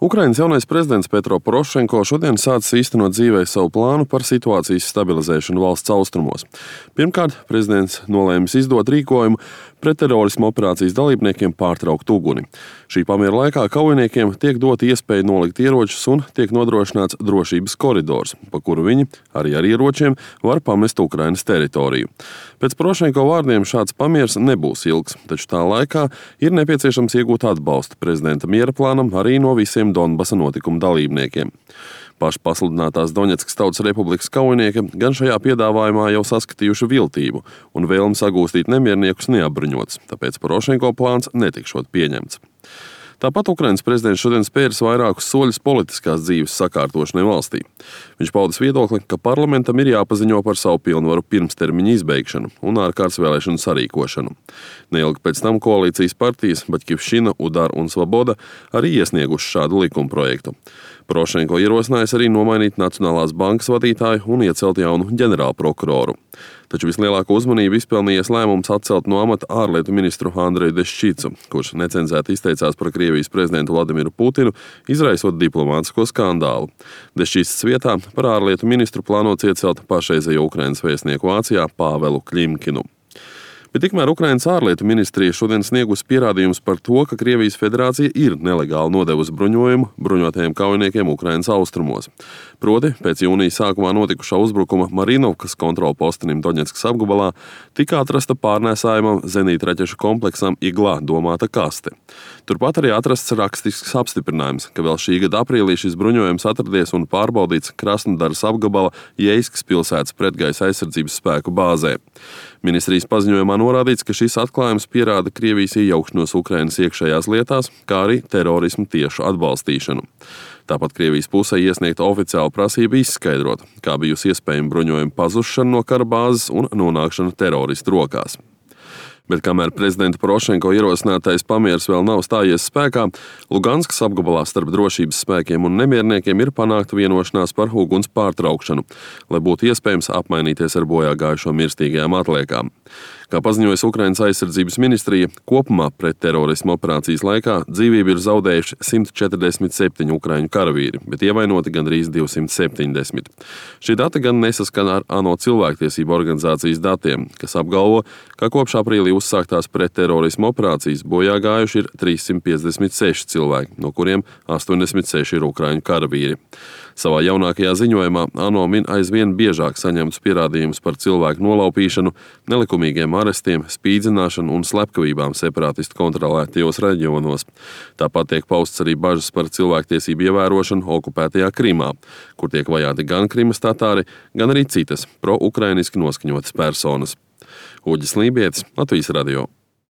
Ukrainas jaunais prezidents Petro Porošenko šodien sācis īstenot dzīvē savu plānu par situācijas stabilizēšanu valsts austrumos. Pirmkārt, prezidents nolēmis izdot rīkojumu pretterorisma operācijas dalībniekiem pārtraukt uguni. Šī pamiera laikā kaujiniekiem tiek dota iespēja nolikt ieročus un tiek nodrošināts drošības koridors, pa kuru viņi, arī ar ieročiem, var pamest Ukrainas teritoriju. Pēc Porošenko vārdiem šāds pamieris nebūs ilgs, taču tā laikā ir nepieciešams iegūt atbalstu prezidenta miera plānam arī no visiem Donbasa notikuma dalībniekiem. Paši pasludinātās Doņetskas Tautas Republikas kaujinieki gan šajā piedāvājumā jau saskatījuši viltību un vēlmi sagūstīt nemierniekus neapbruņots, tāpēc Porošenko plāns netikšot pieņemts. Tāpat Ukrainas prezidents šodien spēris vairākus soļus politiskās dzīves sakārtošanai valstī. Viņš paudis viedokli, ka parlamentam ir jāpaziņo par savu pilnvaru pirmstermiņa izbeigšanu un ārkārtas vēlēšanu sarīkošanu. Neilgi pēc tam koalīcijas partijas Baķivšina, Udar un Svaboda arī iesnieguši šādu likumprojektu. Porošenko ierosinājis arī nomainīt Nacionālās bankas vadītāju un iecelt jaunu ģenerālprokuroru. Taču vislielāko uzmanību izpelnījies lēmums atcelt no amata ārlietu ministru Andreju Deščicu, kurš necenzēti izteicās par Krievijas prezidentu Vladimiru Putinu, izraisot diplomātisko skandālu. Deščicas vietā par ārlietu ministru plānots iecelt pašreizējo Ukrainas vēstnieku Vācijā Pāvelu Kļimkinu. Bet tikmēr Ukrainas ārlietu ministrija šodien sniegusi pierādījumus par to, ka Krievijas federācija ir nelegāli nodevusi bruņojumu bruņotajiem kaujiniekiem Ukrainas austrumos. Proti, pēc jūnija sākumā notikušā uzbrukuma Marinovkas kontrolpostenim Doņetskas apgabalā tika atrasta pārnēsājumam zenītraķešu kompleksam Iglā domāta kaste. Turpat arī atrasts rakstisks apstiprinājums, ka vēl šī gada aprīlī šis bruņojums atradies un pārbaudīts Krasnodaras apgabala Jeiskas pilsētas pretgaisa aizsardzības spēku bāzē. Ministrijas paziņojumā norādīts, ka šis atklājums pierāda Krievijas iejaukšanos Ukrainas iekšējās lietās, kā arī terorismu tiešu atbalstīšanu. Tāpat Krievijas pusē iesniegta oficiāla prasība izskaidrot, kā bijusi iespējama bruņojuma pazušana no kara bāzes un nonākšana teroristu rokās. Bet kamēr prezidenta Porošenko ierosinātais pamieris vēl nav stājies spēkā, Luganskas apgabalā starp drošības spēkiem un nemierniekiem ir panākta vienošanās par uguns pārtraukšanu, lai būtu iespējams apmainīties ar bojā gājušo mirstīgajām atliekām. Kā paziņojas Ukrainas aizsardzības ministrija, kopumā pretterorisma operācijas laikā dzīvību ir zaudējuši 147 ukraiņu karavīri, bet ievainoti gandrīz 270. Šie dati gan nesaskana ar ANO cilvēktiesību organizācijas datiem, kas apgalvo, ka kopš aprīlī uzsāktās pretterorisma operācijas bojā gājuši ir 356 cilvēki, no kuriem 86 ir ukraiņu karavīri. Savā jaunākajā ziņojumā ANO min aizvien biežāk saņemtus pierādījumus par cilvēku nolaupīšanu, nelikumīgiem arestiem, spīdzināšanu un slepkavībām separātistu kontrolētajos reģionos. Tāpat tiek pausts arī bažas par cilvēktiesību ievērošanu okupētajā Krimā, kur tiek vajāti gan Krimas tatāri, gan arī citas pro-ukrainiski noskaņotas personas. Uģis Lībietis, Latvijas radio.